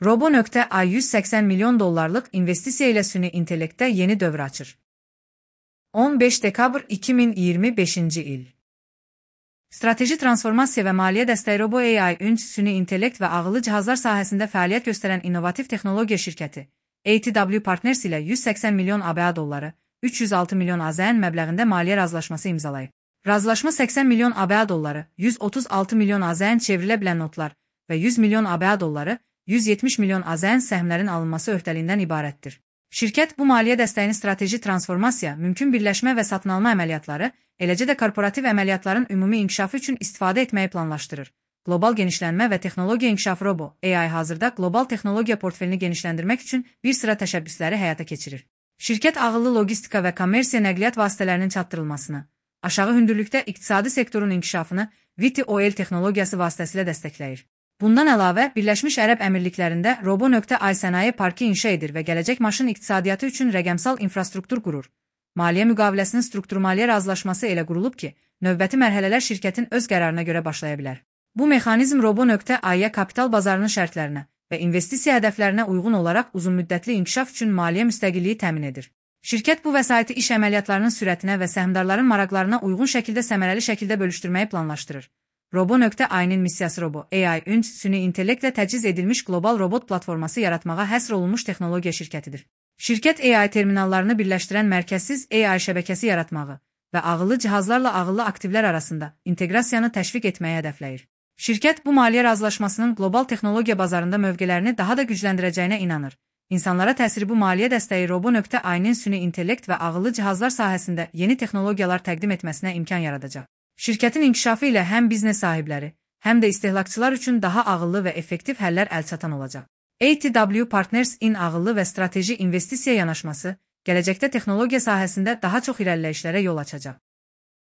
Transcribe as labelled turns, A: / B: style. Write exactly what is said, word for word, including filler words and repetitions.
A: Robo.ai yüz səksən milyon dollarlıq investisiya ilə süni intellektdə yeni dövr açır. on beş dekabr iki min iyirmi beşinci il. Strateji transformasiya və maliyyə dəstəyi Robo.ai ünc süni intellekt və ağıllı cihazlar sahəsində fəaliyyət göstərən innovativ texnologiya şirkəti A T W Partners ilə yüz səksən milyon ABŞ dolları, üç yüz altı milyon AZN məbləğində maliyyə razılaşması imzalayıb. Razılaşma səksən milyon ABŞ dolları, yüz otuz altı milyon AZN çevrilə bilən notlar və yüz milyon ABŞ dolları, yüz yetmiş milyon AZN səhmlərin alınması öhdəliyindən ibarətdir. Şirkət bu maliyyə dəstəyini strateji transformasiya, mümkün birləşmə və satın alma əməliyyatları, eləcə də korporativ əməliyyatların ümumi inkişafı üçün istifadə etməyi planlaşdırır. Qlobal genişlənmə və texnologiya inkişafı Robo.ai hazırda qlobal texnologiya portfelini genişləndirmək üçün bir sıra təşəbbüsləri həyata keçirir. Şirkət ağıllı logistika və kommersiya nəqliyyat vasitələrinin çatdırılmasını, aşağı hündürlükdə iqtisadi sektorun inkişafını V T O L texnologiyası vasitəsilə dəstəkləyir. Bundan əlavə, Birləşmiş Ərəb Əmirliklərində Robo.ai sənaye parkı inşa edir və gələcək maşın iqtisadiyyatı üçün rəqəmsal infrastruktur qurur. Maliyyə müqaviləsinin struktur-maliyyə razılaşması elə qurulub ki, növbəti mərhələlər şirkətin öz qərarına görə başlaya bilər. Bu mexanizm Robo.ai-yə kapital bazarının şərtlərinə və investisiya hədəflərinə uyğun olaraq uzunmüddətli inkişaf üçün maliyyə müstəqilliyi təmin edir. Şirkət bu vəsaiti iş əməliyyatlarının sürətinə və səhmdarların maraqlarına uyğun şəkildə səmərəli şəkildə bölüşdürməyi planlaşdırır. Robo.ai-nin missiyası Robo.ai ünc süni intellektlə təchiz edilmiş qlobal robot platforması yaratmağa həsr olunmuş texnologiya şirkətidir. Şirkət A I terminallarını birləşdirən mərkəzsiz A I şəbəkəsi yaratmağı və ağıllı cihazlarla ağıllı aktivlər arasında inteqrasiyanı təşviq etməyi hədəfləyir. Şirkət bu maliyyə razılaşmasının qlobal texnologiya bazarında mövqelərini daha da gücləndirəcəyinə inanır. İnsanlara təsiri bu maliyyə dəstəyi Robo.ai-nin süni intellekt və ağıllı cihazlar sahəsində yeni texnologiyalar təqdim etməsinə imkan yaradacaq. Şirkətin inkişafı ilə həm biznes sahibləri, həm də istehlakçılar üçün daha ağıllı və effektiv həllər əlçatan olacaq. A T W Partners-in ağıllı və strateji investisiya yanaşması, gələcəkdə texnologiya sahəsində daha çox irəliləyişlərə yol açacaq.